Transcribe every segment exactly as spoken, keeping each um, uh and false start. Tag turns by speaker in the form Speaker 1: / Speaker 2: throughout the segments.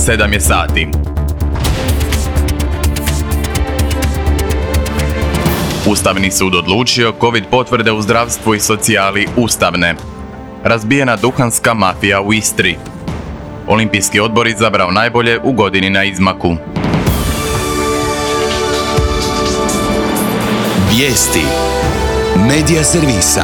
Speaker 1: sedam je sati. Ustavni sud odlučio COVID potvrde u zdravstvu i socijali ustavne. Razbijena duhanska mafija u Istri. Olimpijski odbor izabrao najbolje u godini na izmaku.
Speaker 2: Vijesti Medija servisa.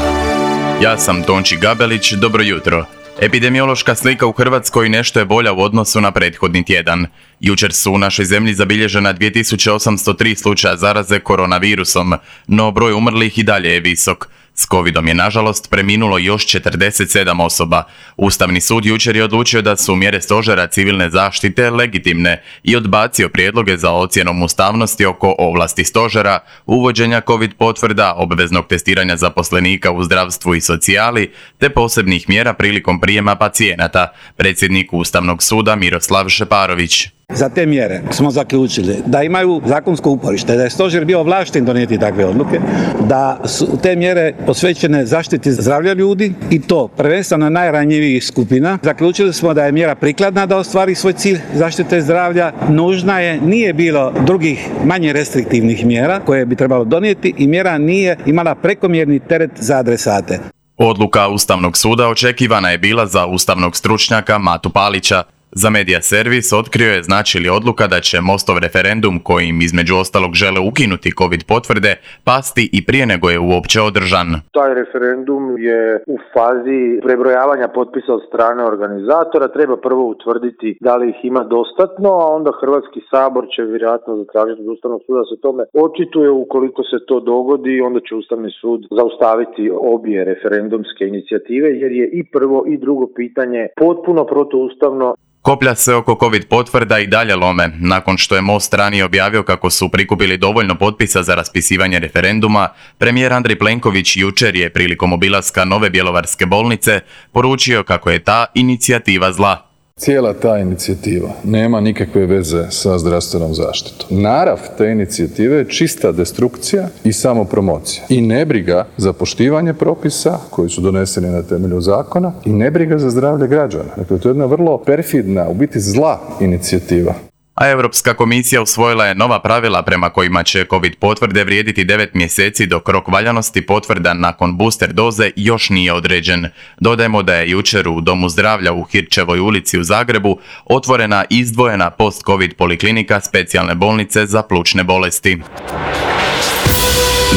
Speaker 1: Ja sam Tonči Gabelić, dobro jutro. Epidemiološka slika u Hrvatskoj nešto je bolja u odnosu na prethodni tjedan. Jučer su u našoj zemlji zabilježena dvije tisuće osamsto tri slučaja zaraze koronavirusom, no broj umrlih i dalje je visok. S covidom je nažalost preminulo još četrdeset sedam osoba. Ustavni sud jučer je odlučio da su mjere stožera civilne zaštite legitimne i odbacio prijedloge za ocjenom ustavnosti oko ovlasti stožera, uvođenja covid potvrda, obveznog testiranja zaposlenika u zdravstvu i socijali, te posebnih mjera prilikom prijema pacijenata, predsjednik Ustavnog suda Miroslav Šeparović.
Speaker 3: Za te mjere smo zaključili da imaju zakonsko uporište, da je stožer bio ovlašten donijeti takve odluke, da su te mjere posvećene zaštiti zdravlja ljudi i to prvenstveno najranjivijih skupina. Zaključili smo da je mjera prikladna da ostvari svoj cilj zaštite zdravlja, nužna je, nije bilo drugih manje restriktivnih mjera koje bi trebalo donijeti i mjera nije imala prekomjerni teret za adresate.
Speaker 1: Odluka Ustavnog suda očekivana je bila za ustavnog stručnjaka Matu Palića. Za Medija servis otkrio je znači li odluka da će Mostov referendum, kojim između ostalog žele ukinuti covid potvrde, pasti i prije nego je uopće održan.
Speaker 4: Taj referendum je u fazi prebrojavanja potpisa od strane organizatora. Treba prvo utvrditi da li ih ima dostatno, a onda Hrvatski sabor će vjerojatno zatražiti od Ustavnog suda da se tome očituje. Ukoliko se to dogodi, onda će Ustavni sud zaustaviti obje referendumske inicijative, jer je i prvo i drugo pitanje potpuno protuustavno.
Speaker 1: Koplja se oko covid potvrda i dalje lome. Nakon što je Most ranije objavio kako su prikupili dovoljno potpisa za raspisivanje referenduma, premijer Andrej Plenković jučer je prilikom obilaska nove bjelovarske bolnice poručio kako je ta inicijativa zla.
Speaker 5: Cijela ta inicijativa nema nikakve veze sa zdravstvenom zaštitom. Narav te inicijative je čista destrukcija i samopromocija. I nebriga za poštivanje propisa koji su doneseni na temelju zakona i nebriga za zdravlje građana. Dakle, to je jedna vrlo perfidna, u biti zla inicijativa.
Speaker 1: A Europska komisija usvojila je nova pravila prema kojima će covid potvrde vrijediti devet mjeseci dok rok valjanosti potvrda nakon booster doze još nije određen. Dodajemo da je jučer u Domu zdravlja u Hirčevoj ulici u Zagrebu otvorena izdvojena post-covid poliklinika specijalne bolnice za plućne bolesti.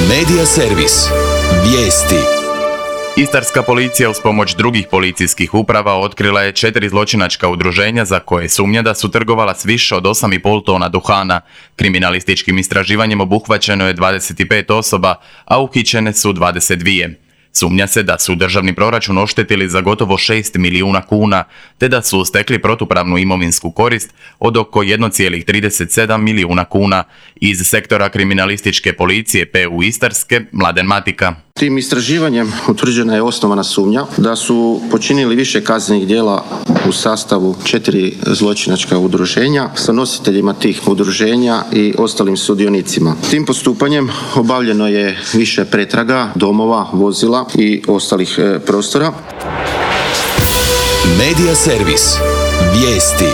Speaker 2: Medija servis. Vijesti.
Speaker 1: Istarska policija uz pomoć drugih policijskih uprava otkrila je četiri zločinačka udruženja za koje sumnja da su trgovala s više od osam i pol tona duhana. Kriminalističkim istraživanjem obuhvaćeno je dvadeset pet osoba, a uhićene su dvadeset dvije. Sumnja se da su državni proračun oštetili za gotovo šest milijuna kuna, te da su stekli protupravnu imovinsku korist od oko jedan zarez trideset sedam milijuna kuna. Iz sektora kriminalističke policije P U Istarske, Mladen Matika.
Speaker 6: Tim istraživanjem utvrđena je osnovana sumnja da su počinili više kaznenih djela u sastavu četiri zločinačka udruženja sa nositeljima tih udruženja i ostalim sudionicima. Tim postupanjem obavljeno je više pretraga, domova, vozila i ostalih e, prostora.
Speaker 2: Medija servis. Vijesti.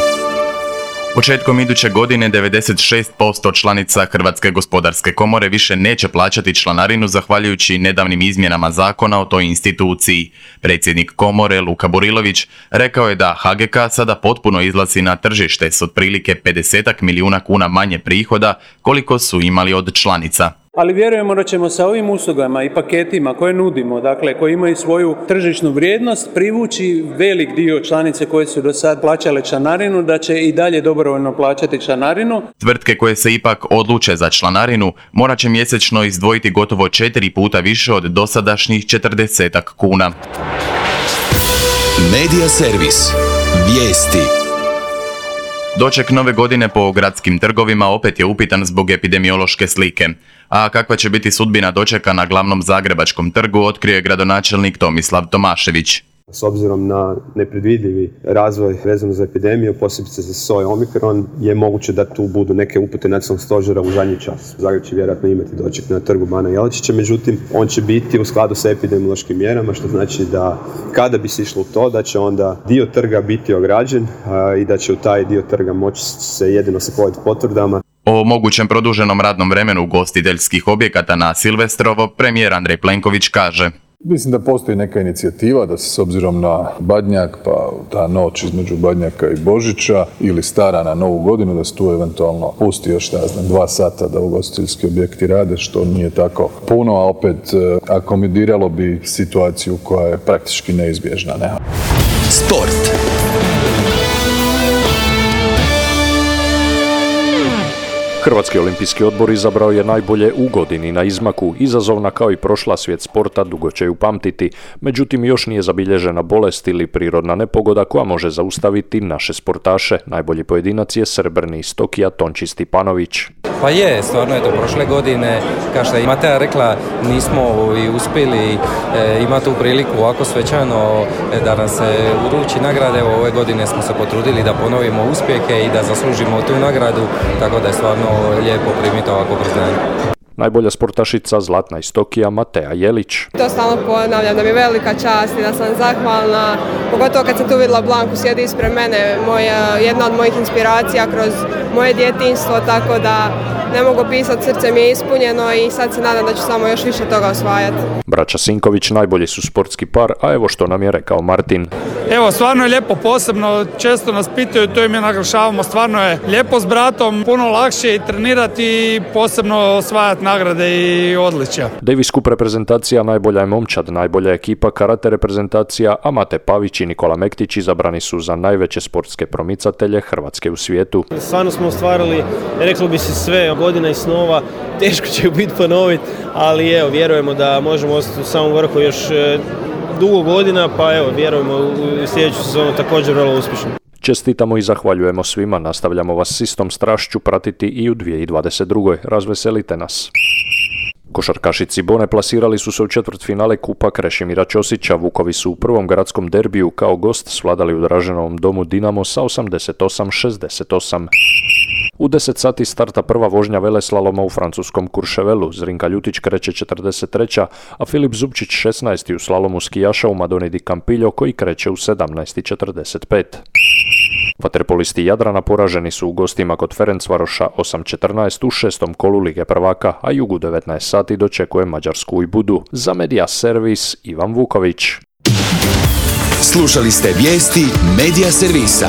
Speaker 1: Početkom iduće godine devedeset šest posto članica Hrvatske gospodarske komore više neće plaćati članarinu zahvaljujući nedavnim izmjenama zakona o toj instituciji. Predsjednik komore Luka Burilović rekao je da H G K sada potpuno izlazi na tržište s otprilike pedeset milijuna kuna manje prihoda koliko su imali od članica.
Speaker 7: Ali vjerujemo da ćemo sa ovim uslugama i paketima koje nudimo, dakle koji imaju svoju tržišnu vrijednost, privući velik dio članice koje su do sad plaćale članarinu, da će i dalje dobrovoljno plaćati članarinu.
Speaker 1: Tvrtke koje se ipak odluče za članarinu morat će mjesečno izdvojiti gotovo četiri puta više od dosadašnjih četrdesetak kuna.
Speaker 2: Medija servis. Vijesti.
Speaker 1: Doček nove godine po gradskim trgovima opet je upitan zbog epidemiološke slike. A kakva će biti sudbina dočeka na glavnom zagrebačkom trgu, otkrio je gradonačelnik Tomislav Tomašević.
Speaker 8: S obzirom na nepredvidivi razvoj vezano za epidemiju, posebice za soj Omikron, je moguće da tu budu neke upute nacionalnog stožera u zadnji čas. Zagreb će vjerojatno imati doček na trgu Bana Jelačića, međutim, on će biti u skladu sa epidemiološkim mjerama, što znači da kada bi se išlo u to, da će onda dio trga biti ograđen a, i da će u taj dio trga moći se jedino sa covid potvrdama.
Speaker 1: O mogućem produženom radnom vremenu ugostiteljskih objekata na Silvestrovo premijer Andrej Plenković kaže:
Speaker 5: Mislim da postoji neka inicijativa da se s obzirom na Badnjak, pa ta noć između Badnjaka i Božića ili stara na Novu godinu, da se tu eventualno pusti još, ne znam, dva sata da ugostiteljski objekti rade, što nije tako puno, a opet akomodiralo bi situaciju koja je praktički neizbježna. Ne?
Speaker 2: Sport.
Speaker 9: Hrvatski olimpijski odbor izabrao je najbolje u godini na izmaku. Izazovna kao i prošla svijet sporta dugo će ju pamtiti, međutim još nije zabilježena bolest ili prirodna nepogoda koja može zaustaviti naše sportaše. Najbolji pojedinac je srebrni iz Tokija Tonči Stipanović.
Speaker 10: Pa je, stvarno je to prošle godine, kao što je Mateja rekla, nismo i uspjeli e, imati tu priliku ovako svečano e, da nam se uruči nagrade. Ove godine smo se potrudili da ponovimo uspjehe i da zaslužimo tu nagradu, tako da je stvarno lijepo primiti ovako priznanje.
Speaker 9: Najbolja sportašica zlatna iz Tokija Mateja Jelić.
Speaker 11: To stalno ponavljam da mi je velika čast i da sam zahvalna, pogotovo kad sam tu vidjela Blanku sjedi ispred mene, moja, jedna od mojih inspiracija kroz moje djetinjstvo, tako da ne mogu pisati, srce mi je ispunjeno i sad se nadam da ću samo još više toga osvajati.
Speaker 9: Braća Sinković najbolji su sportski par, a evo što nam je rekao Martin.
Speaker 12: Evo, stvarno je lijepo, posebno često nas pitaju, to im je naglašavamo, stvarno je lijepo s bratom, puno lakše i trenirati i posebno osvajati nagrade i odličja.
Speaker 9: Davis Cup reprezentacija najbolja je momčad, najbolja ekipa karate reprezentacija, a Mate Pavić i Nikola Mektić izabrani su za najveće sportske promicatelje Hrvatske u svijetu.
Speaker 13: Stvarno smo ostvarili, reklo bi se sve, godina i snova, teško će ju biti ponoviti, ali evo, vjerujemo da možemo ostati u samom vrhu još dugo godina, pa evo, vjerujemo u sljedeću sezonu također vrlo uspješno.
Speaker 9: Čestitamo i zahvaljujemo svima, nastavljamo vas s istom strašću pratiti i u dvije tisuće dvadeset druge. Razveselite nas. Košarkašici Bone plasirali su se u četvrtfinale Kupa Krešimira Ćosića. Vukovi su u prvom gradskom derbiju kao gost svladali u Draženovom domu Dinamo sa osamdeset osam šezdeset osam. U deset sati starta prva vožnja veleslaloma u francuskom Courchevelu. Zrinka Ljutić kreće četrdeset treća, a Filip Zubčić šesnaesti u slalomu skijaša u Madoni di Campillo koji kreće u sedamnaest četrdeset pet. Vaterpolisti Jadrana poraženi su u gostima kod Ferencvaroša osam četrnaest u šestom kolu Lige prvaka, a jug u devetnaest sati dočekuje Mađarsku i Budu. Za Media Servis Ivan Vuković.
Speaker 2: Slušali ste vijesti Media Servisa.